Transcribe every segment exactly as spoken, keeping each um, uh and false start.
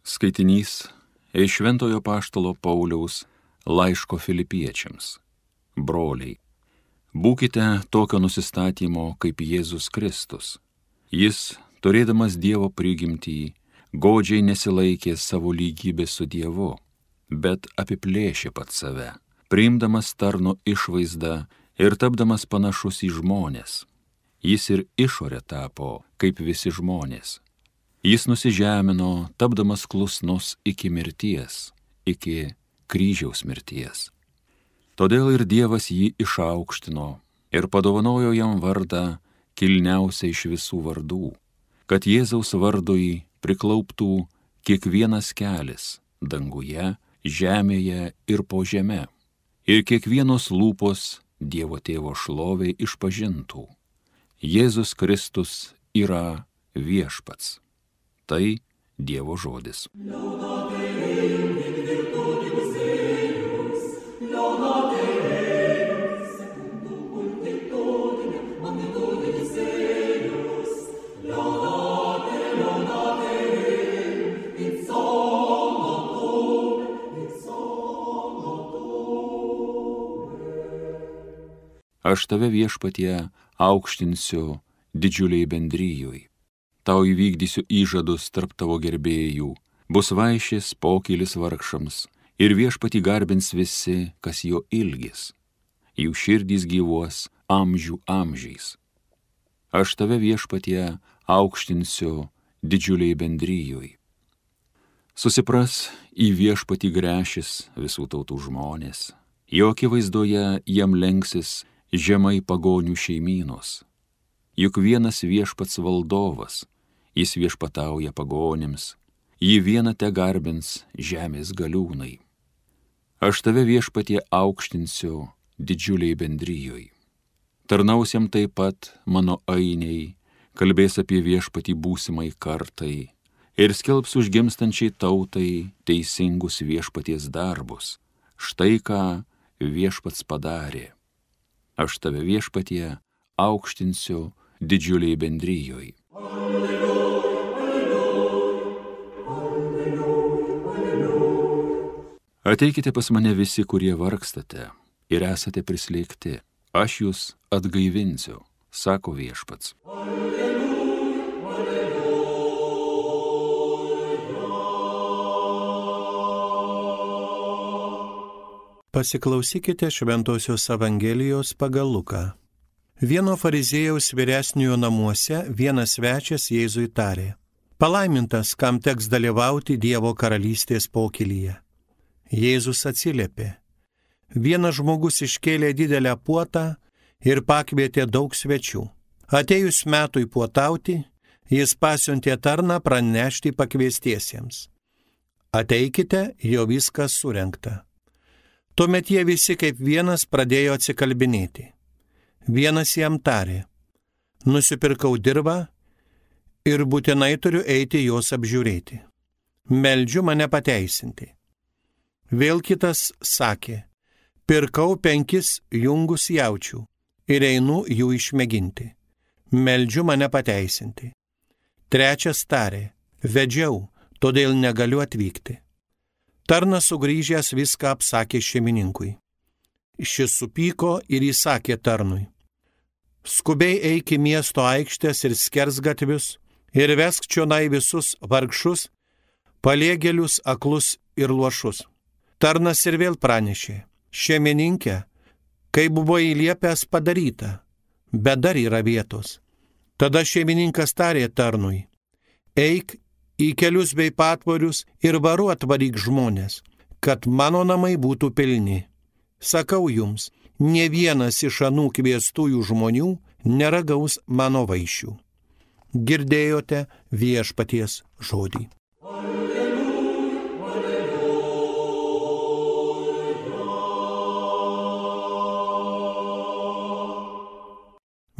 Skaitinys iš Šventojo Apaštalo Pauliaus laiško Filipiečiams. Broliai, būkite tokio nusistatymo kaip Jėzus Kristus. Jis, turėdamas Dievo prigimtį, godžiai nesilaikė savo lygybės su Dievu, bet apiplėšė pats save, priimdamas tarno išvaizdą ir tapdamas panašus į žmones. Jis ir išorė tapo kaip visi žmonės. Jis nusižemino, tapdamas klusnus iki mirties, iki kryžiaus mirties. Todėl ir Dievas jį išaukštino ir padovanojo jam vardą kilniausią iš visų vardų, kad Jėzaus vardui priklauptų kiekvienas kelis danguje, žemėje ir po žeme, ir kiekvienos lūpos Dievo Tėvo šloviai išpažintų: Jėzus Kristus yra viešpats. Tai Dievo žodis. Aš tave, Viešpatie, aukštinsiu didžiuliai bendrijoj. Tau įvykdysiu įžadus tarp tavo gerbėjų, bus vaišės pokylis vargšams, ir Viešpatį garbins visi, kas jo ilgis. Jų širdys gyvuos amžių amžiais. Aš tave, Viešpatie, aukštinsiu didžiuliai bendrijoj. Susipras į Viešpatį gręšis visų tautų žmonės, jo akivaizdoje jam lenksis žemai pagonių šeimynos. Juk vienas Viešpats valdovas, jis viešpatauja pagonims, jį vieną te garbins žemės galiūnai. Aš tave, Viešpatie, aukštinsiu didžiuliai bendrijoj. Tarnaus jam taip pat mano ainiai, kalbės apie Viešpatį būsimai kartai ir skelbs užgimstančiai tautai teisingus Viešpaties darbus. Štai ką Viešpats padarė. Aš tave, Viešpatie, aukštinsiu didžiuliai bendrijoj. Ateikite pas mane visi, kurie vargstate ir esate prislėgti. Aš jūs atgaivinsiu, sako Viešpats. Pasiklausykite Šventosios Evangelijos pagal Luką. Vieno fariziejaus vyresniojo namuose vienas svečias Jėzui tarė: palaimintas, kam teks dalyvauti Dievo karalystės pokylyje. Jėzus atsiliepė: vienas žmogus iškėlė didelę puotą ir pakvietė daug svečių. Atėjus metui puotauti, jis pasiuntė tarną pranešti pakviestiesiems: ateikite, jau viskas surengta. Tuomet jie visi kaip vienas pradėjo atsikalbinėti. Vienas jam tarė: nusipirkau dirvą ir būtinai turiu eiti jos apžiūrėti. Meldžiu mane pateisinti. Vėl kitas sakė: pirkau penkis jungus jaučių ir einu jų išmėginti. Meldžiu mane pateisinti. Trečias tarė: vedžiau, todėl negaliu atvykti. Tarnas sugrįžęs viską apsakė šeimininkui. Šis supyko ir įsakė tarnui: skubiai eik į miesto aikštės ir skersgatvius ir vesk čionai visus vargšus, paliegėlius, aklus ir luošus. Tarnas ir vėl pranešė: šeimininkė, kai buvo įliepęs padaryta, bet dar yra vietos. Tada šeimininkas tarė tarnui: eik į kelius bei patvorius ir varu atvaryk žmonės, kad mano namai būtų pilni. Sakau jums, nė vienas iš anų kviestųjų žmonių neragaus mano vaišių. Girdėjote Viešpaties žodį.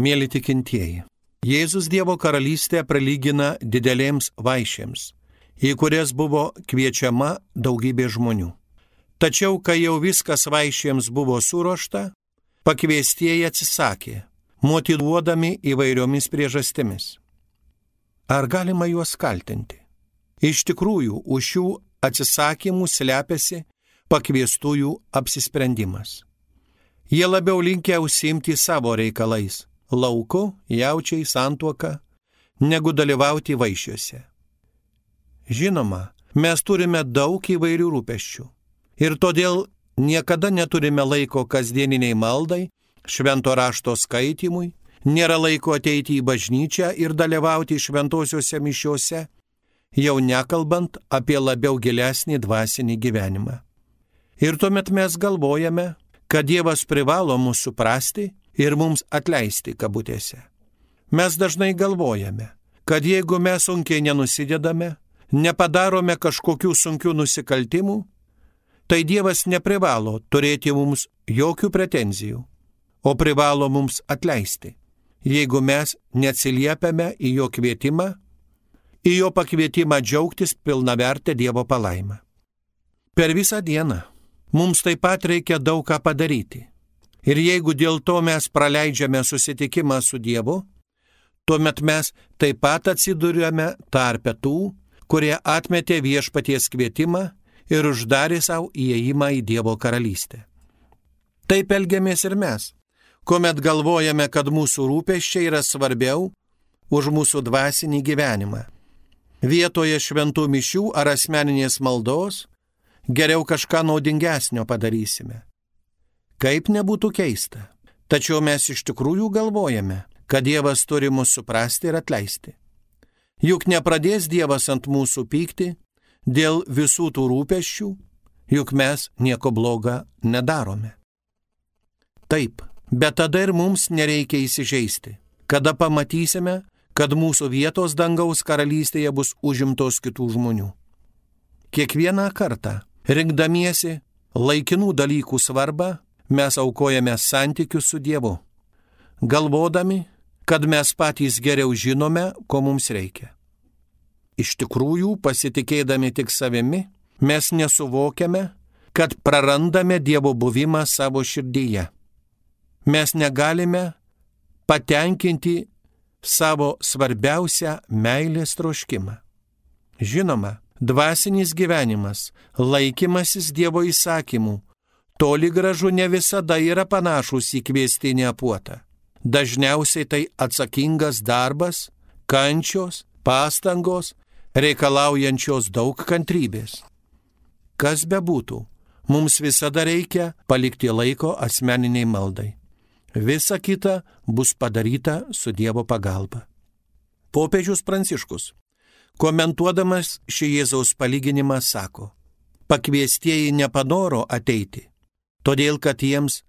Mėly tikintieji, Jėzus Dievo karalystę prilygina didelėms vaišėms, į kurias buvo kviečiama daugybė žmonių. Tačiau, kai jau viskas vaišėms buvo suruošta, pakviestieji atsisakė, motyvuodami įvairiomis priežastimis. Ar galima juos kaltinti? Iš tikrųjų, už šių atsisakymų slepiasi pakviestųjų apsisprendimas. Jie labiau linkę užsiimti savo reikalais – lauku, jaučiai, santuoka – negu dalyvauti vaišiuose. Žinoma, mes turime daug įvairių rūpesčių ir todėl niekada neturime laiko kasdieniniai maldai, švento rašto skaitimui, nėra laiko ateiti į bažnyčią ir dalyvauti šventosiuose mišiuose, jau nekalbant apie labiau gilesnį dvasinį gyvenimą. Ir tuomet mes galvojame, kad Dievas privalo mus suprasti ir mums atleisti kabutėse. Mes dažnai galvojame, kad jeigu mes sunkiai nenusidedame, nepadarome kažkokių sunkių nusikaltimų, tai Dievas neprivalo turėti mums jokių pretenzijų, o privalo mums atleisti, jeigu mes neatsiliepiame į jo kvietimą, į jo pakvietimą džiaugtis pilnavertę Dievo palaimą. Per visą dieną mums taip pat reikia daug ką padaryti. Ir jeigu dėl to mes praleidžiame susitikimą su Dievu, tuomet mes taip pat atsiduriame tarpe tų, kurie atmetė viešpaties kvietimą ir uždarė savo įėjimą į Dievo karalystę. Taip elgiamės ir mes, kuomet galvojame, kad mūsų rūpesčiai yra svarbiau už mūsų dvasinį gyvenimą. Vietoje šventų mišių ar asmeninės maldos geriau kažką naudingesnio padarysime. Kaip nebūtų keista, tačiau mes iš tikrųjų galvojame, kad Dievas turi mus suprasti ir atleisti. Juk nepradės Dievas ant mūsų pykti dėl visų tų rūpesčių, juk mes nieko bloga nedarome. Taip, bet tada ir mums nereikia įsižeisti, kada pamatysime, kad mūsų vietos dangaus karalystėje bus užimtos kitų žmonių. Kiekvieną kartą, rinkdamiesi laikinų dalykų svarbą, mes aukojame santykius su Dievu, galvodami, kad mes patys geriau žinome, ko mums reikia. Iš tikrųjų, pasitikėdami tik savimi, mes nesuvokiame, kad prarandame Dievo buvimą savo širdyje. Mes negalime patenkinti savo svarbiausią meilės troškimą. Žinoma, dvasinis gyvenimas, laikymasis Dievo įsakymų, toli gražu ne visada yra panašus į kviestinę puotą. Dažniausiai tai atsakingas darbas, kančios, pastangos, reikalaujančios daug kantrybės. Kas bebūtų, mums visada reikia palikti laiko asmeniniai maldai. Visa kita bus padaryta su Dievo pagalba. Popiežius Pranciškus, komentuodamas šį Jėzaus palyginimą, sako, pakviestieji nepanoro ateiti, todėl kad jiems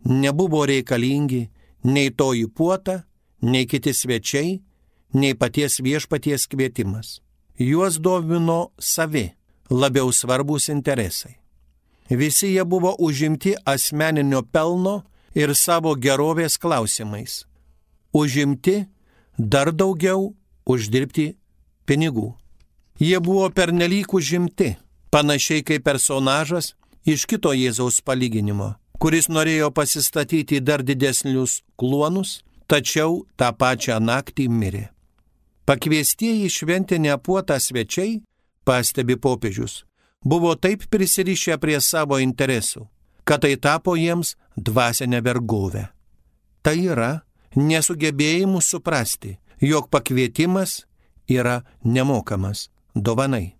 nebuvo reikalingi nei toji puota, nei kiti svečiai, nei paties viešpaties kvietimas. Juos domino savi, labiau svarbus interesai. Visi jie buvo užimti asmeninio pelno ir savo gerovės klausimais. Užimti dar daugiau uždirbti pinigų. Jie buvo pernelyg užimti, panašiai kaip personažas iš kito Jėzaus palyginimo, kuris norėjo pasistatyti dar didesnius kluonus, tačiau tą pačią naktį mirė. Pakviestieji šventinę puotą svečiai, pastebi popiežius, buvo taip prisirišę prie savo interesų, kad tai tapo jiems dvasinę vergovę. Tai yra nesugebėjimu suprasti, jog pakvietimas yra nemokamas dovanai.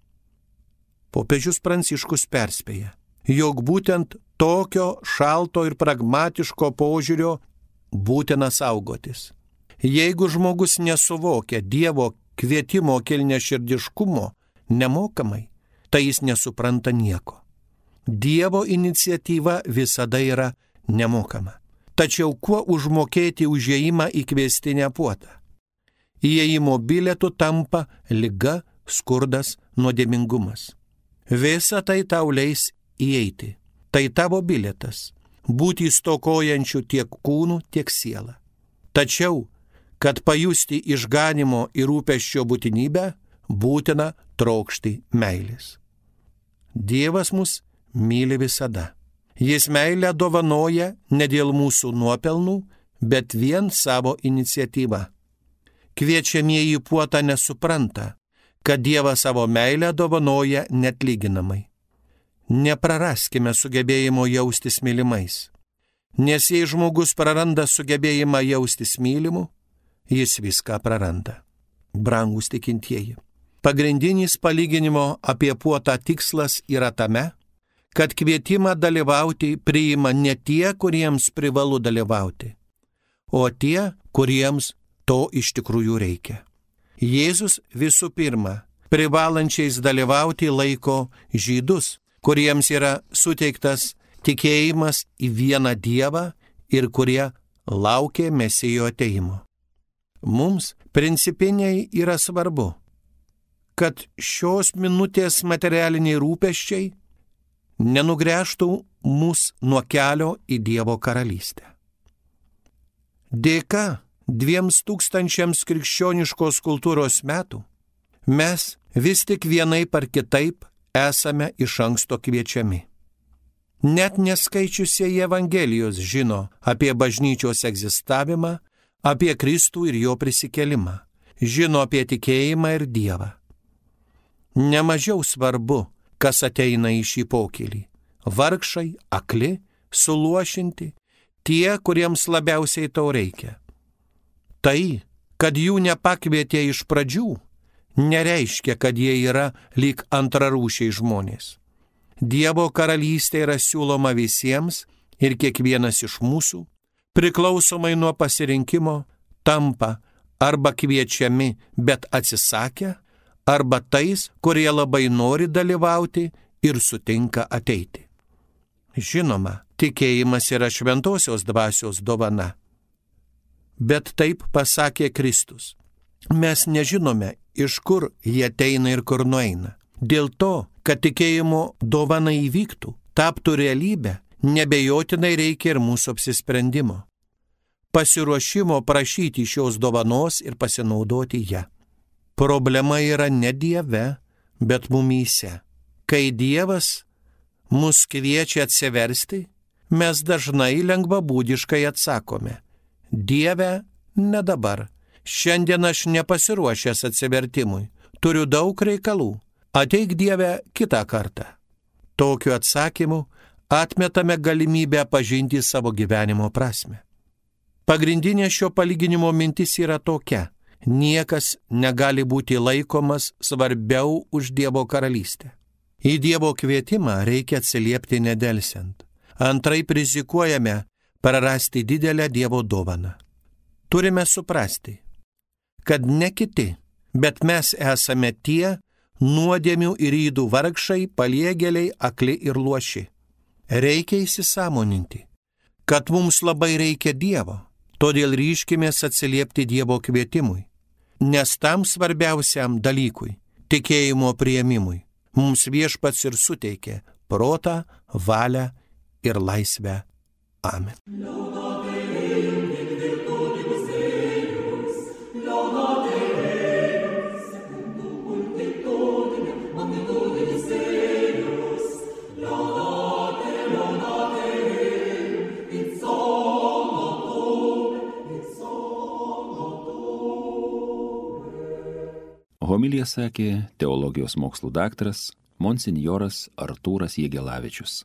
Popiežius Pranciškus perspėja, jog būtent tokio šalto ir pragmatiško požiūrio būtina saugotis. Jeigu žmogus nesuvokia Dievo kvietimo kilniaširdiškumo nemokamai, tai jis nesupranta nieko. Dievo iniciatyva visada yra nemokama. Tačiau kuo užmokėti užėjimą į kviestinę puotą? Įėjimo bilietų tampa liga, skurdas, nuodėmingumas. Visa tai tau leis įeiti. Tai tavo bilietas – būti stokojančių tiek kūnų, tiek sielą. Tačiau, kad pajusti išganimo ir rūpesčio būtinybę, būtina trokšti meilės. Dievas mus myli visada. Jis meilę dovanoja ne dėl mūsų nuopelnų, bet vien savo iniciatyvą. Kviečiamieji puotą nesupranta, kad Dievas savo meilę dovanoja netlyginamai. Nepraraskime sugebėjimo jaustis mylimais, nes jei žmogus praranda sugebėjimą jaustis mylimu, jis viską praranda. Brangūs tikintieji, pagrindinis palyginimo apie puotą tikslas yra tame, kad kvietimą dalyvauti priima ne tie, kuriems privalu dalyvauti, o tie, kuriems to iš tikrųjų reikia. Jėzus visų pirma privalančiais dalyvauti laiko žydus, kuriems yra suteiktas tikėjimas į vieną Dievą ir kurie laukia Mesijo ateimo. Mums principiniai yra svarbu, kad šios minutės materialiniai rūpesčiai nenugręžtų mus nuo kelio į Dievo karalystę. Dėka dviems tūkstančiams krikščioniškos kultūros metų mes vis tik vienaip ar kitaip esame iš anksto kviečiami. Net neskaičiusieji Evangelijos žino apie bažnyčios egzistavimą, apie Kristų ir jo prisikėlimą, žino apie tikėjimą ir Dievą. Nemažiau svarbu, kas ateina į šį pokylį – vargšai, akli, suluošinti, tie, kuriems labiausiai to reikia. Tai, kad jų nepakvietė iš pradžių, nereiškia, kad jie yra lyg antrarūšiai žmonės. Dievo karalystė yra siūloma visiems ir kiekvienas iš mūsų, priklausomai nuo pasirinkimo, tampa arba kviečiami, bet atsisakę, arba tais, kurie labai nori dalyvauti ir sutinka ateiti. Žinoma, tikėjimas yra šventosios dvasios dovana. Bet taip pasakė Kristus. Mes nežinome, iš kur jie ateina ir kur nueina. Dėl to, kad tikėjimo dovana įvyktų, taptų realybę, nebejotinai reikia ir mūsų apsisprendimo. Pasiruošimo prašyti šios dovanos ir pasinaudoti ją. Problema yra ne Dieve, bet mumyse. Kai Dievas mus kviečia atsiversti, mes dažnai lengvabūdiškai atsakome: Dieve, ne dabar. Šiandien aš nepasiruošęs atsivertimui. Turiu daug reikalų. Ateik Dieve kitą kartą. Tokiu atsakymu atmetame galimybę pažinti savo gyvenimo prasmę. Pagrindinė šio palyginimo mintis yra tokia: niekas negali būti laikomas svarbiau už Dievo karalystę. Į Dievo kvietimą reikia atsiliepti nedelsiant. Antraip rizikuojame prarasti didelę Dievo dovaną. Turime suprasti, kad ne kiti, bet mes esame tie nuodėmių ir ydų vargšai, paliegėliai, akli ir luoši. Reikia įsisąmoninti, kad mums labai reikia Dievo, todėl ryškimės atsiliepti Dievo kvietimui, nes tam svarbiausiam dalykui, tikėjimo priėmimui, mums Viešpats ir suteikė protą, valią ir laisvę. Amen. Homiliją sakė teologijos mokslų daktaras monsinjoras Artūras Jegelavičius.